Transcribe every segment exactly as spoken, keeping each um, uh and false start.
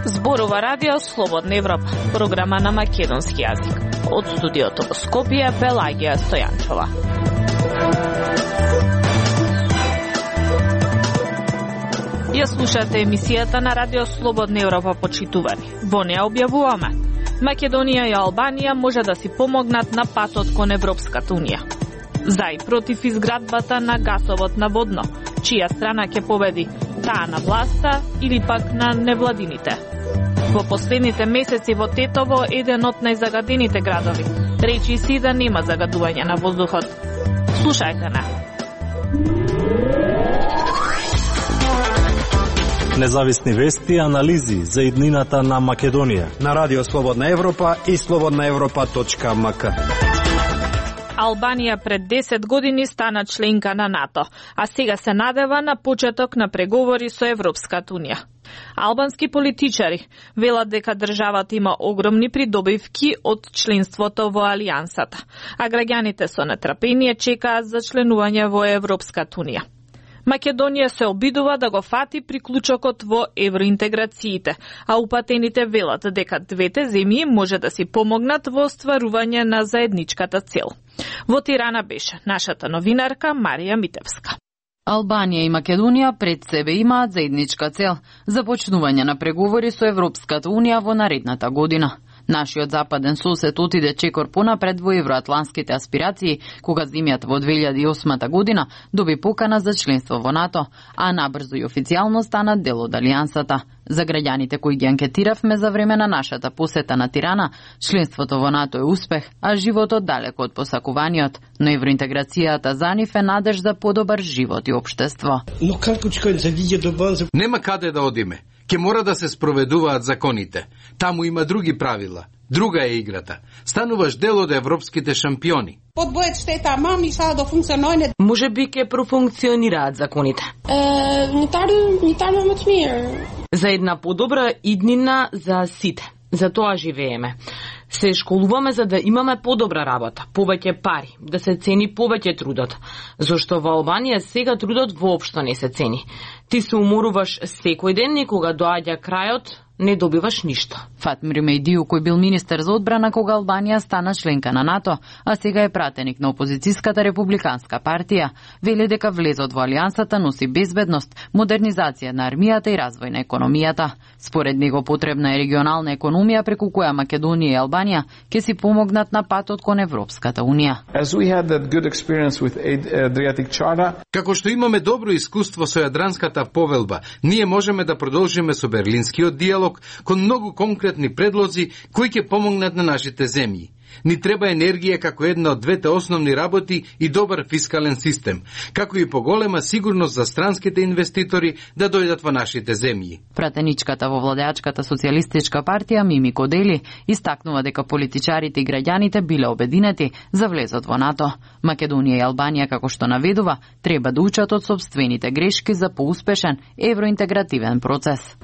Зборува радио Слободна Европа, програма на македонски јазик. Од студиото во Скопје, Пелагија Стојанчова. Ја слушате емисијата на радио Слободна Европа, почитувани. Во неа објавуваме: Македонија и Албанија може да си помогнат на патот кон Европската унија. За и против изградбата на гасовод на Водно, чија страна ќе победи, таа на власта или пак на невладините. Во последните месеци во Тетово, еден од најзагадените градови, речи си да нема загадување на воздухот. Слушајте на. Независни вести и анализи за иднината на Македонија на радио Слободна Европа и слободна европа точка ем ка. Албанија пред десет години стана членка на НАТО, а сега се надева на почеток на преговори со Европската унија. Албански политичари велат дека државата има огромни придобивки од членството во Алијансата, а граѓаните со нетрпение чекаат за членување во Европската унија. Македонија се обидува да го фати приклучокот во евроинтеграциите, а упатените велат дека двете земји може да си помогнат во остварување на заедничката цел. Во Тирана беше нашата новинарка Марија Митевска. Албанија и Македонија пред себе имаат заедничка цел – започнување на преговори со Европската унија во наредната година. Нашиот западен сосед отиде чекор понапред во евроатланските аспирации, кога земјата во две илјади и осма година доби покана за членство во НАТО, а набрзо и официјално стана дел од Алијансата. За граѓаните кои ги анкетиравме за време на нашата посета на Тирана, членството во НАТО е успех, а животот далеко од посакуваниот, но евроинтеграцијата за нив е надеж за подобар живот и општество. Но како ќе се види до база? Нема каде да одиме. Ке мора да се спроведуваат законите. Таму има други правила. Друга е играта. Стануваш дел од европските шампиони. Подбојат штета, мами са да функционојне. Може би ке профункционираат законите. Е, не тару, не тару мот мир. За една подобра иднина за сите. За тоа живееме. Се школуваме за да имаме подобра работа, повеќе пари, да се цени повеќе трудот. Зошто во Албанија сега трудот воопшто не се цени. Ти се уморуваш секој ден и кога доаѓа крајот, не добиваш ништо. Фатмир Мејдију, кој бил министер за одбрана кога Албанија стана членка на НАТО, а сега е пратеник на опозицијската републиканска партија, вели дека влезот во Алијансата носи безбедност, модернизација на армијата и развој на економијата. Според него потребна е регионална економија преку која Македонија и Албанија ќе си помогнат на патот кон Европската унија. Како што имаме добро искуство со Јадранската повелба, ние можеме да продолжиме со Берлинскиот диалог кон многу конкретни предлози кои ќе помогнат на нашите земји. Ни треба енергија како една од двете основни работи и добар фискален систем, како и поголема сигурност за странските инвеститори да дојдат во нашите земји. Пратеничката во владеачката социјалистичка партија Мими Кодели истакнува дека политичарите и граѓаните биле обединети за влезот во НАТО. Македонија и Албанија, како што наведува, треба да учат од сопствените грешки за поуспешен евроинтегративен процес.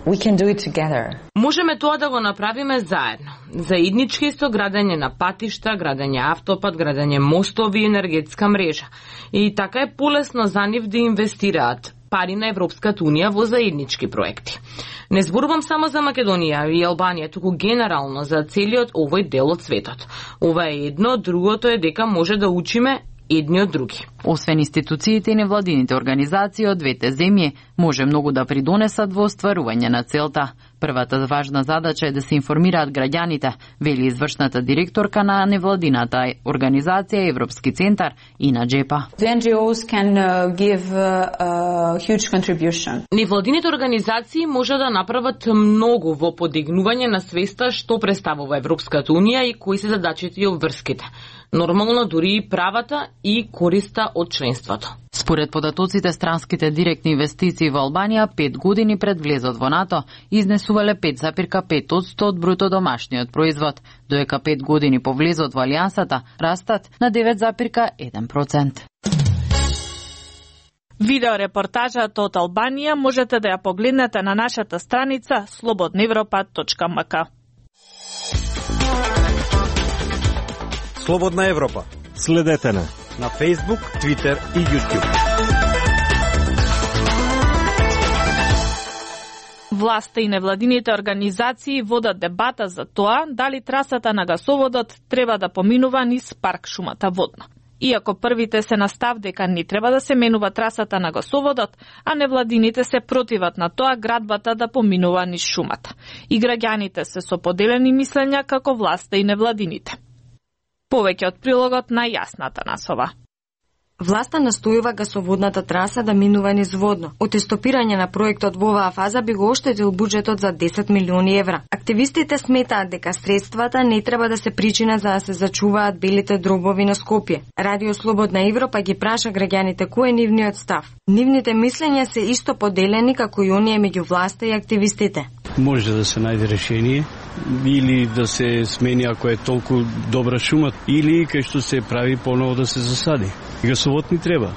Можеме тоа да го направиме заедно. Заеднички со градење на патишта, градење автопат, градење мостови и енергетска мрежа. И така е полесно за нив да инвестираат пари на Европската унија во заеднички проекти. Не зборувам само за Македонија и Албанија, туку генерално за целиот овој дел од светот. Ова е едно, другото е дека може да учиме едни од други. Освен институциите и невладините организации од двете земји, може многу да придонесат во остварување на целта. Првата важна задача е да се информираат граѓаните, вели извршната директорка на невладината организација Европски центар Ина Джепа. Невладините организации може да направат многу во подигнување на свеста што представува Европската унија и кои се задачите и обврските. Нормално дури и правата и користа од членството. Според податоците, странските директни инвестиции во Албанија пет години пред влезот во НАТО изнесувале пет запир пет одсто од бруто домашниот производ, додека пет години по влезот во Алијансата растат на девет запир еден процент. Видеорепортажата од Албанија можете да ја погледнете на нашата страница слободна европа точка ем ка. Слободна Европа. Следете на на Facebook, Twitter и YouTube. Власта и невладините организации водат дебата за тоа дали трасата на гасоводот треба да поминува низ парк шумата Водно. Иако првите се на став дека не треба да се менува трасата на гасоводот, а невладините се противат на тоа градбата да поминува низ шумата. И граѓаните се со поделени мислења како власта и невладините. Повеќе од прилогот на Јасната Насова. Власта настојува гасоводната траса да минува низ Водно. Од стопирање на проектот во оваа фаза би го оштетил буџетот за десет милиони евра. Активистите сметаат дека средствата не треба да се причина за да се зачуваат белите дробови на Скопје. Радио Слободна Европа ги праша граѓаните кој е нивниот став. Нивните мислења се исто поделени како и оние меѓу власта и активистите. Може да се најде решение или да се смени ако е толку добра шума, или кај што се прави поново да се засади. Гасовод ни треба.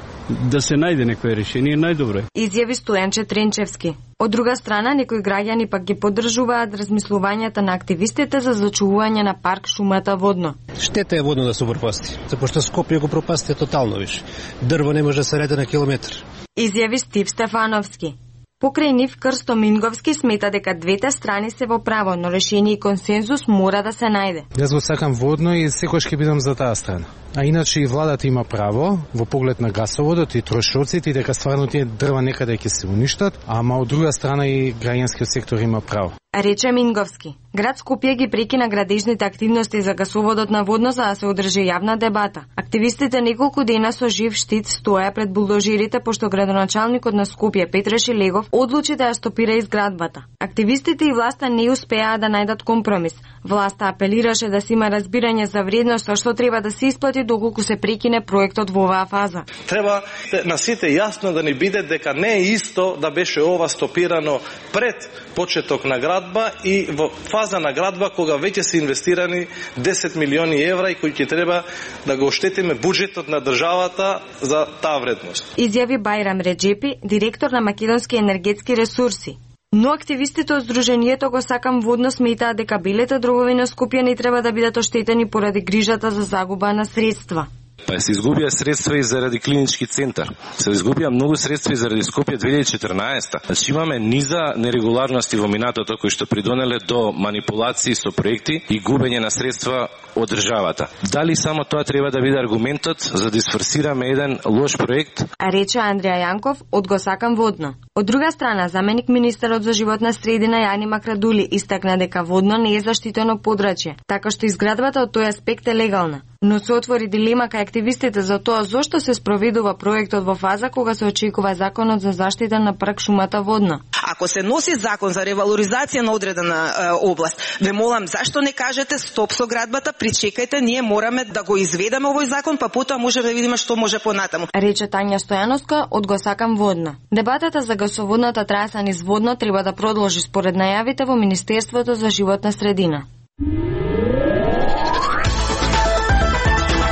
Да се најде некое решение, најдобро е. Изјави Стојанче Тренчевски. Од друга страна, некои граѓани пак ги поддржуваат размислувањата на активистите за зачувување на парк шумата Водно. Штета е Водно да се пропасти, зашто Скопје го пропасти тотално виш. Дрво не може да се реде на километар. Изјави Стив Стефановски. Покрај нив Крсто Минговски смета дека двете страни се во право, но решение и консензус мора да се најде. Јас го сакам Водно и секојаш ќе бидам за таа страна. А иначе и владата има право во поглед на гасоводот и трошоците и дека стварно тие дрва некаде ќе се уништат, ама од друга страна и граѓанскиот сектор има право. Рече Минговски. Град Скопје ги прекина градежните активности за гасоводот на Водно за да се одржи јавна дебата. Активистите неколку дена со жив штит стоја пред булдожерите пошто градоначалникот на Скопје Петре Шилегов одлучи да ја стопира изградбата. Активистите и власта не успеаа да најдат компромис. Власта апелираше да се има разбирање за вредноста што треба да се исплати доколку се прекине проектот во оваа фаза. Треба на сите јасно да ни биде дека не е исто да беше ова стопирано пред почеток на градба и во фаза на градба кога веќе се инвестирани десет милиони евра и кои ќе треба да го оштетиме буџетот на државата за таа вредност. Изјави Бајрам Реджепи, директор на Македонски енергетски ресурси. Но активистите од Сдруженијето го сакам Водно сметаат дека белите дробови на Скопје не треба да бидат оштетени поради грижата за загуба на средства. Па се изгубија средства и заради клинички центар. Се изгубија многу средства и заради Скопје две илјади и четрнаесета. Значи имаме низа нерегуларности во минатото кои што придонеле до манипулации со проекти и губење на средства од државата. Дали само тоа треба да биде аргументот за да исфорсираме еден лош проект? А рече Андреја Јанков од Го сакам Водно. Од друга страна, заменик министерот за животна средина Јани Макрадули истакна дека Водно не е заштитено подрачје, така што изградбата од тој аспект е легална. Но се отвори дилема кај активистите за тоа зошто се спроведува проектот во фаза кога се очекува законот за заштита на парк шумата Водно. Ако се носи закон за ревалоризација на одредена е, област, ве молам зашто не кажете стоп со градбата, причекајте, ние мораме да го изведеме овој закон, па потоа може да видиме што може понатаму. Рече Тања Стојановска од Го сакам Водно. Дебатата за гасоводната траса низ Водно треба да продолжи според најавите во Министерството за животна средина.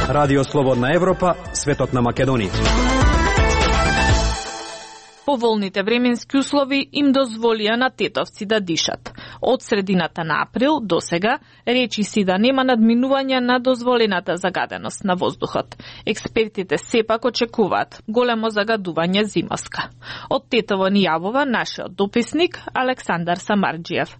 Радио Слободна Европа, светот на Македонија. Поволните временски услови им дозволија на тетовци да дишат. Од средината на април до сега речи си да нема надминување на дозволената загаденост на воздухот. Експертите сепак очекуваат големо загадување зимоска. Од Тетово ни јавува нашиот дописник Александар Самарџиев.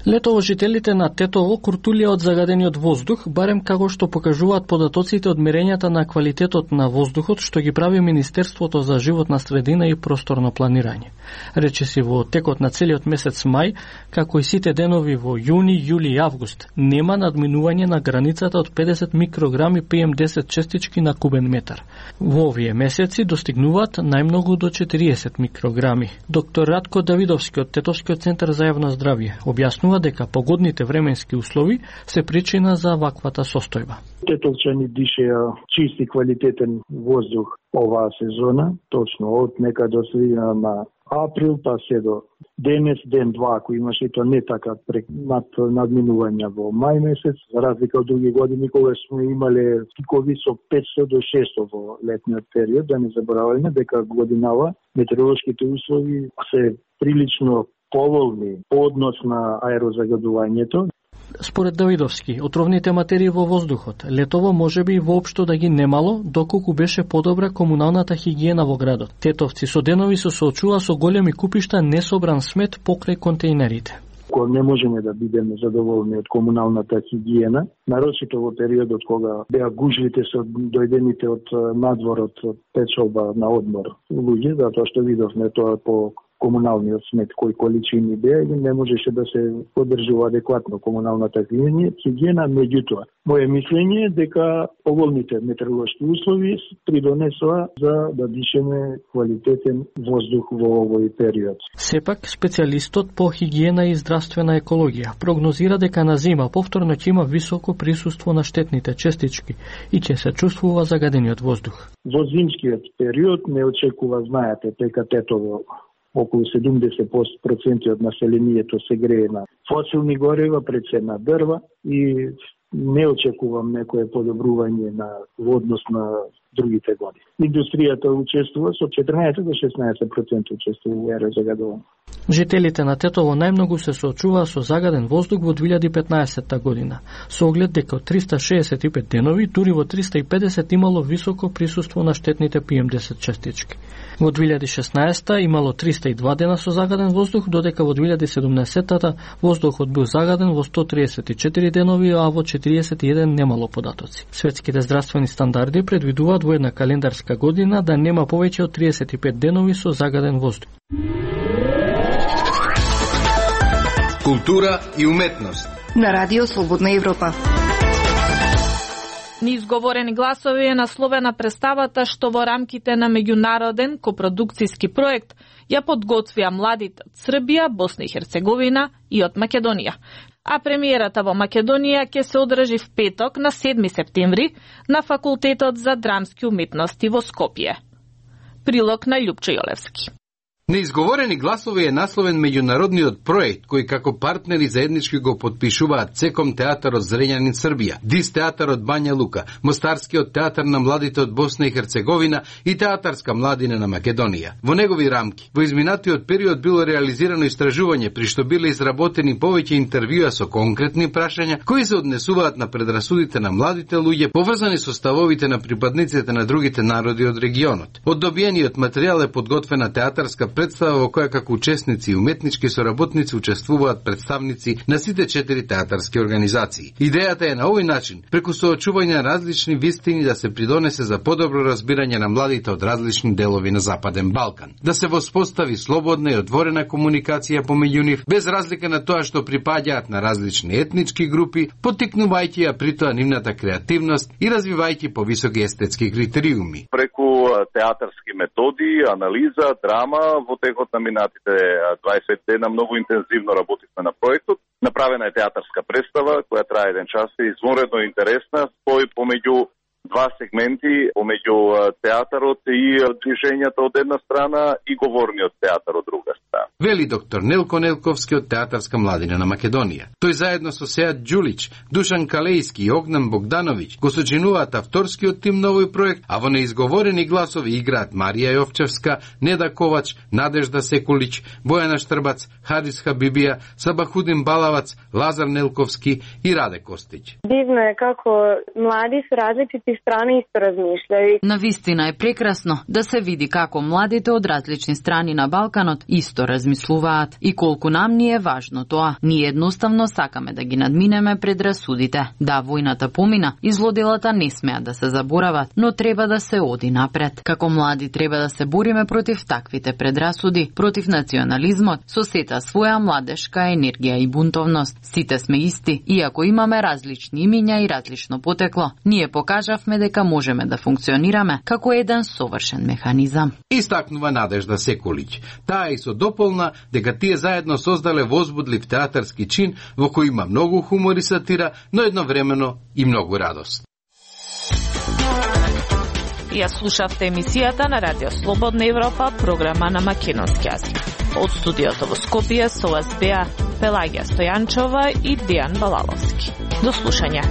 Летово жителите на Тетово куртулија од загадениот воздух, барем како што покажуваат податоците од мерењата на квалитетот на воздухот што ги прави Министерството за животна средина и просторно планирање. Речиси во текот на целиот месец мај, како и сите денови во јуни, јули и август, нема надминување на границата од педесет микрограми пи ем десет честички на кубен метар. Во овие месеци достигнуваат најмногу до четириесет микрограми. Доктор Радко Давидовски од Тетовскиот центар за јавно здравје објаснува дека погодните временски услови се причина за ваквата состојба. Тетовчани дишеа чист и квалитетен воздух оваа сезона, точно од нека до средина на април па се до денес, ден-два, ако имаше и то не така пред над надминување во мај месец, за разлика од други години кога сме имале пикови со петсто до шестоста во летниот период, да не забораваме дека годинава метеоролошките услови се прилично поволни по однос на аерозагадувањето. Според Давидовски, отровните материи во воздухот летово можеби воопшто да ги немало, доколку беше подобра комуналната хигиена во градот. Тетовци со денови се соочува со големи купишта несобран смет покрај контейнерите. Кога не можеме да бидеме задоволни од комуналната хигиена, нарочито во периодот кога беа гужвите со дојдените од надворот печалба на одмор луѓе, затоа што видовме тоа по комуналниот смет кои количини беа и не можеше да се поддржува адекватно комуналната хигиена. Меѓутоа, моје мислење е дека поволните метеоролошки услови придонесоа за да дишеме квалитетен воздух во овој период. Сепак, специјалистот по хигиена и здравствена екологија прогнозира дека на зима повторно ќе има високо присуство на штетните честички и ќе се чувствува загадениот воздух. Во зимскиот период не очекува, знаете, дека Тетово околу седумдесет проценти од населението се грее на фосилни горива, пред се на дрва и не очекувам некое подобрување на во однос на другите години. Индустријата учествува со четрнаесет до шеснаесет проценти учествува во аерозагадување. Жителите на Тетово најмногу се соочуваа со загаден воздух во две илјади и петнаесетта година, со оглед дека од триста шеесет и пет денови, дури во триста и педесет имало високо присуство на штетните пи ем десет честички. Во две илјади и шеснаесетта имало триста и два дена со загаден воздух, додека во две илјади и седумнаесетта воздухот бил загаден во сто триесет и четири денови, а во четириесет и еден немало податоци. Светските здравствени стандарди предвидуваат во една календарска година да нема повеќе од триесет и пет денови со загаден воздух. Култура и уметност на Радио Слободна Европа. Неизговорени гласови е насловена представата што во рамките на меѓународен копродукцијски проект ја подготвија младите од Србија, Босна и Херцеговина и од Македонија. А премиерата во Македонија ќе се одржи в петок на седми септември на Факултетот за драмски уметности во Скопје. Прилог на Љупчо Јолевски. Неизговорени гласови е насловен меѓународниот проект кој како партнери заеднички го подпишуваат Цеком театарот Зрењанин Србија, Дис театарот Бања Лука, Мостарскиот театар на младите од Босна и Херцеговина и Театарска младина на Македонија. Во негови рамки, во изминатиот период било реализирано истражување при што биле изработени повеќе интервјуа со конкретни прашања кои се однесуваат на предрасудите на младите луѓе поврзани со ставовите на припадниците на другите народи од регионот. Од добиениот материјал е подготвена театарска представа во која како учесници и уметнички соработници учествуваат представници на сите четири театарски организации. Идејата е на овој начин, преку соочување на различни вистини да се придонесе за подобро разбирање на младите од различни делови на Западен Балкан. Да се воспостави слободна и отворена комуникација помеѓу нив, без разлика на тоа што припаѓаат на различни етнички групи, поттикнувајќи ја при тоа нивната креативност и развивајќи повисоки естетски критериуми. Преку театарски методи, анализа, драма, во текот на минатите дваесет дена многу интензивно работивме на проектот. Направена е театарска представа која трае еден час и извонредно интересна, спој помеѓу два сегменти, помеѓу театарот и движењата од една страна и говорниот театар од друга страна. Вели доктор Нелко Нелковски од Театарска младина на Македонија. Тој заедно со Сеат Ѓулич, Душан Калејски и Огнан Богдановиќ го сочинуваат авторскиот тим на овој проект, а во неизговорени гласови играат Марија Јовчевска, Неда Ковач, Надежда Секулич, Бојана Штрбац, Хадис Хабибија, Сабахудин Балавац, Лазар Нелковски и Раде Костиќ. Дивно е како млади со различити страни исто размишљају. Навистина е прекрасно да се види како младите од различни страни на Балканот исто размислуваат и колку нам ни е важно тоа. Ние едноставно сакаме да ги надминеме предрасудите. Да, војната помина и злоделата не смеат да се заборават, но треба да се оди напред. Како млади треба да се бориме против таквите предрасуди, против национализмот, со сета своја младешка енергија и бунтовност. Сите сме исти, иако имаме различни имиња и различно потекло. Ние покажавме дека можеме да функционираме како еден совршен механизам. Истакнува Надежда Секулич. Таа и со дополна дека тие заедно создале возбудлив театарски чин во кој има многу хумор и сатира, но едновремено и многу радост. Ја слушавте емисијата на Радио Слободна Европа, програма на македонски јазик. Од студиото во Скопје со вас беа Пелагија Стојанчова и Дијан Балаловски. До слушање.